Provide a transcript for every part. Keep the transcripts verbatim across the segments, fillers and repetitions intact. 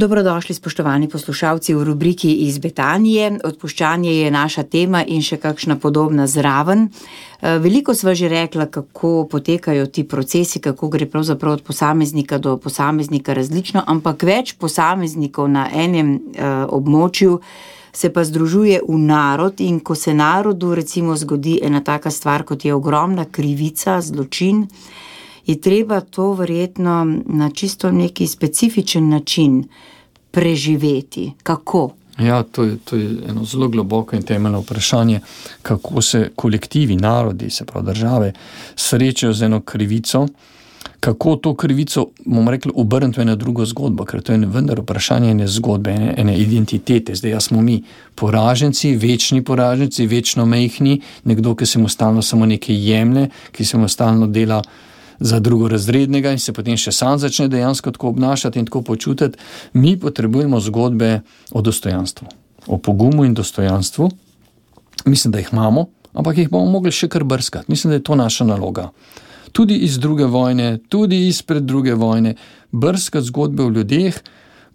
Dobrodošli, spoštovani poslušalci, v rubriki Iz Betanije. Odpuščanje je naša tema in še kakšna podobna zraven. Veliko sva že rekla, kako potekajo ti procesi, kako gre pravzaprav od posameznika do posameznika različno, ampak več posameznikov na enem območju se pa združuje v narod, in ko se narodu recimo zgodi ena taka stvar, kot je ogromna krivica, zločin, je treba to verjetno na čisto neki specifičen način preživeti. Kako? Ja, to je, to je eno zelo globoko in temeljno vprašanje, kako se kolektivi, narodi, se pravi države, srečajo z eno krivico, kako to krivico, bomo rekli, obrniti v eno drugo zgodbo, ker to je vendar vprašanje ene zgodbe, ene, ene identitete. Zdaj, ja smo mi poraženci, večni poraženci, večno mejhni, nekdo, ki se mu stalno samo nekaj jemlje, ki se mu stalno dela za drugorazrednega in se potem še sam začne dejansko tako obnašati in tako počutiti. Mi potrebujemo zgodbe o dostojanstvu, o pogumu in dostojanstvu. Mislim, da jih imamo, ampak jih bomo mogli še kar brskati. Mislim, da je to naša naloga. Tudi iz druge vojne, tudi izpred druge vojne, brskati zgodbe o ljudeh,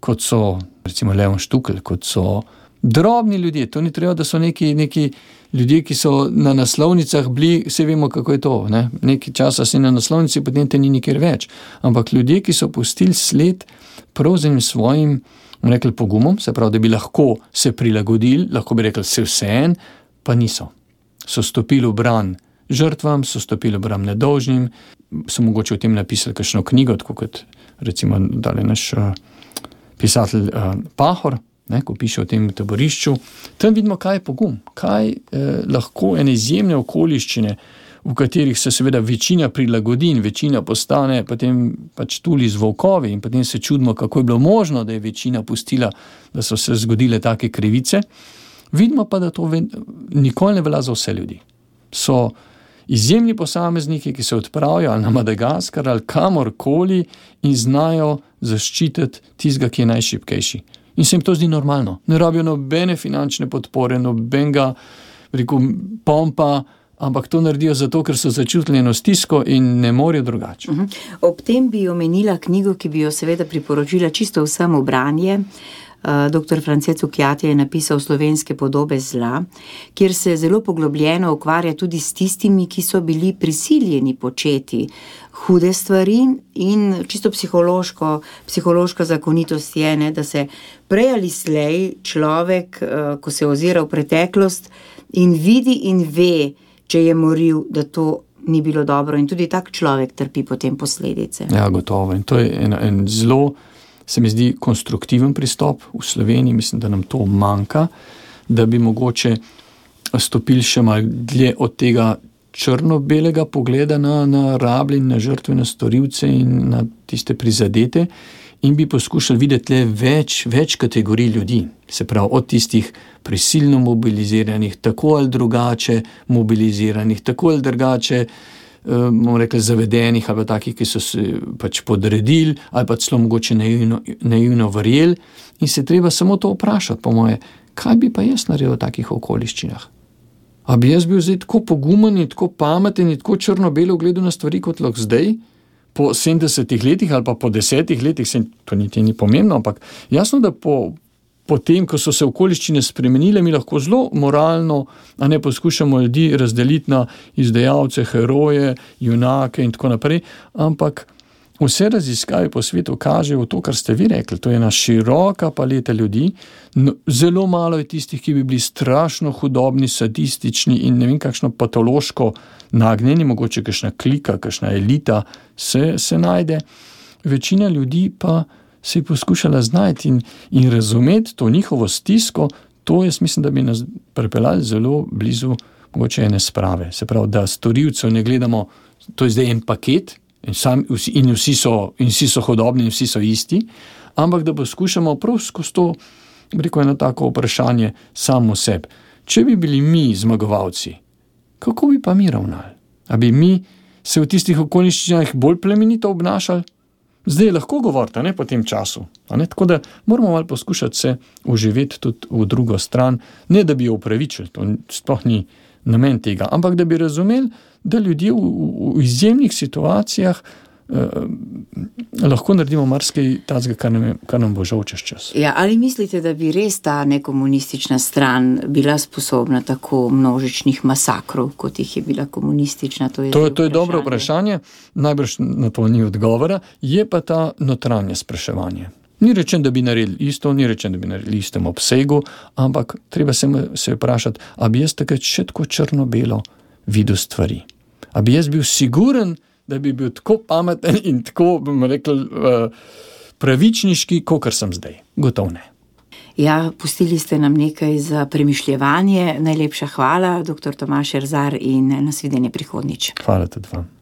kot so, recimo Leon Štukelj, kot so drobni ljudje. To ni treba, da so neki, neki ljudje, ki so na naslovnicah bili, vse vemo, kako je to, ne? Nekaj časa si na naslovnici, potem te ni nikjer več. Ampak ljudje, ki so pustili sled prav z enim svojim, bomo rekli, pogumom, se pravi, da bi lahko se prilagodili, lahko bi rekli se vseen, pa niso. So stopili v bran žrtvam, so stopili v bran nedolžnim, so mogoče o tem napisali kakšno knjigo, tako kot recimo dali naš uh, pisatelj uh, Pahor, ne, ko piše o tem taborišču. Tam vidimo, kaj je pogum, kaj eh, lahko ene izjemne okoliščine, v katerih se seveda večina prilagodi in večina postane potem pač tuli z volkovi in potem se čudimo, kako je bilo možno, da je večina pustila, da so se zgodile take krivice. Vidimo pa, da to ve, nikoli ne velja za vse ljudi. So izjemni posamezniki, ki se odpravijo ali na Madagaskar ali kamorkoli in znajo zaščititi tistega, ki je najšibkejši. In se jim to zdi normalno. Ne rabijo nobene finančne podpore, nobenega, rekel, pompa, ampak to naredijo zato, ker so začutili eno stisko in ne morejo drugače. Uh-huh. Ob tem bi omenila knjigo, ki bi jo seveda priporočila čisto vsem v branje. Uh, doktor France Cukjati je napisal Slovenske podobe zla, kjer se zelo poglobljeno ukvarja tudi s tistimi, ki so bili prisiljeni početi hude stvari, in čisto psihološko, psihološka zakonitost je, ne, da se prej ali slej človek, uh, ko se ozira v preteklost in vidi in ve, če je moril, da to ni bilo dobro, in tudi tak človek trpi potem posledice. Ja, gotovo. In to je en, en zelo, se mi zdi, konstruktiven pristop v Sloveniji. Mislim, da nam to manjka, da bi mogoče stopili še malo dlje od tega črno-belega pogleda na, na rablje, na žrtve, na storilce in na tiste prizadete in bi poskušali videti le več, več kategorij ljudi. Se pravi, od tistih prisilno mobiliziranih, tako ali drugače mobiliziranih, tako ali drugače bomo rekli, zavedenih ali pa takih, ki so se pač podredili ali pa celo mogoče naivno, naivno verjeli, in se treba samo to vprašati, po moje, kaj bi pa jaz naredil v takih okoliščinah? A bi jaz bil zdaj tako pogumen in tako pameten in tako črno-belo gledal na stvari kot lahko zdaj, po sedemdesetih letih ali pa po desetih letih, se to niti ni pomembno, ampak jasno, da po Potem, ko so se okoliščine spremenile, mi lahko zelo moralno, a ne poskušamo ljudi razdeliti na izdajalce, heroje, junake in tako naprej, ampak vse raziskave po svetu kažejo to, kar ste vi rekli, to je ena široka paleta ljudi, no, zelo malo je tistih, ki bi bili strašno hudobni, sadistični in ne vem kakšno patološko nagnjeni, mogoče kakšna klika, kakšna elita se, se najde. Večina ljudi pa se je poskušala znajti in, in razumeti to njihovo stisko, to jaz mislim, da bi nas pripeljali zelo blizu mogoče ene sprave. Se pravi, da storilcev ne gledamo, to je zdaj en paket in, sam, in, vsi so, in vsi so hodobni in vsi so isti, ampak da poskušamo prav skozi to, rekel, eno tako vprašanje samo sebi. Če bi bili mi zmagovalci, kako bi pa mi ravnali? A bi mi se v tistih okoliščinah bolj plemenito obnašali? Zdaj lahko govorite, ne, po tem času. A ne? Tako da moramo malo poskušati se uživeti tudi v drugo stran, ne da bi jo upravičili, to sploh ni namen tega, ampak da bi razumeli, da ljudje v, v izjemnih situacijah lahko naredimo marsikaj tazga, kar nam, kar nam bo žal čez čas. Ja, ali mislite, da bi res ta nekomunistična stran bila sposobna tako množičnih masakrov, kot jih je bila komunistična? To je, to, to je dobro vprašanje, najbrž na to ni odgovora, je pa ta notranje spraševanje. Ni rečen, da bi naredili isto, ni rečen, da bi naredili istem obsegu, ampak treba se, se vprašati, a bi jaz takrat še tako črno-belo videl stvari. A bi jaz bil siguren, da bi bil tako pameten in tako, bomo rekli, pravičniški, kakor sem zdaj. Gotovo ne. Ja, pustili ste nam nekaj za premišljevanje. Najlepša hvala, doktor Tomaž Erzar, in nasvidenje prihodnjič. Hvala tudi vam.